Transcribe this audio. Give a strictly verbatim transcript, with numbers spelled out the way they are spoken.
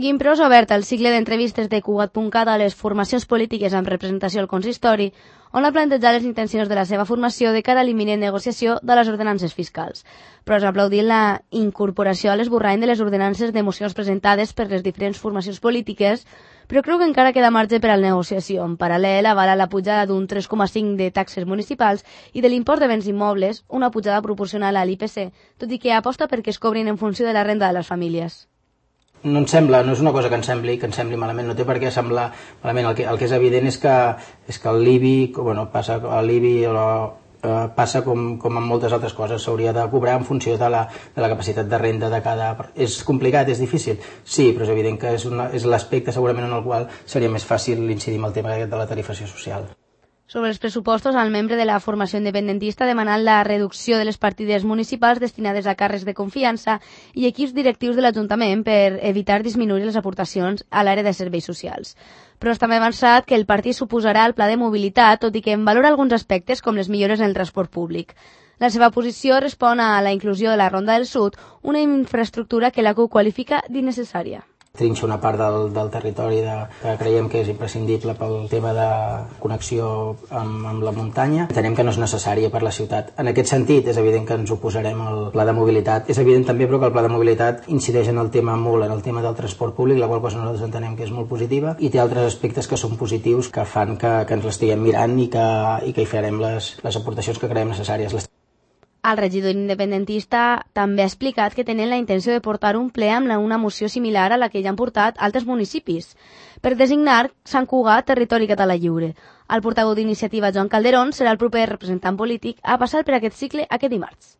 Gimpros ha obert el cicle d'entrevistes de Cugat punt cat a les formacions polítiques amb representació al consistori, on ha plantejat les intencions de la seva formació de cara a l'imminent negociació de les ordenances fiscals. Però s'ha aplaudit la incorporació a l'esborrany de les ordenances de mocions presentades per les diferents formacions polítiques, però creu que encara queda marge per a la negociació. En paral·lel, avala la pujada d'un tres coma cinc de taxes municipals i de l'impost de béns immobles, una pujada proporcional a l'I P C, tot i que aposta perquè es cobrin en funció de la renda de les famílies. No em sembla, no és una cosa que ens sembli, que ens sembli malament, no té per què semblar malament. El que, el que és evident és que, és que l'I B I, bueno, passa, l'I B I eh, passa com, com en moltes altres coses, s'hauria de cobrar en funció de la, de la capacitat de renda de cada... És complicat, és difícil? Sí, però és evident que és, una, és l'aspecte segurament en el qual seria més fàcil incidir en el tema de la tarifació social. Sobre els pressupostos, el membre de la formació independentista ha demanat la reducció de les partides municipals destinades a càrrecs de confiança i equips directius de l'Ajuntament per evitar disminuir les aportacions a l'àrea de serveis socials. Però també ha avançat que el partit s'oposarà al pla de mobilitat, tot i que en valora alguns aspectes com les millores en el transport públic. La seva posició respon a la inclusió de la Ronda del Sud, una infraestructura que la C U qualifica d'innecessària. Trinxa una part del, del territori de, que creiem que és imprescindible pel tema de connexió amb, amb la muntanya. Entenem que no és necessària per la ciutat. En aquest sentit, és evident que ens oposarem al pla de mobilitat. És evident també, però, que el pla de mobilitat incideix en el tema molt, en el tema del transport públic, la qual cosa nosaltres entenem que és molt positiva, i té altres aspectes que són positius, que fan que, que ens l'estiguem mirant i que, i que hi farem les, les aportacions que creiem necessàries. El regidor independentista també ha explicat que tenen la intenció de portar un ple amb una moció similar a la que ja han portat altres municipis, per designar Sant Cugat territori català lliure. El portaveu d'iniciativa, Joan Calderón, serà el proper representant polític a passar per aquest cicle aquest dimarts.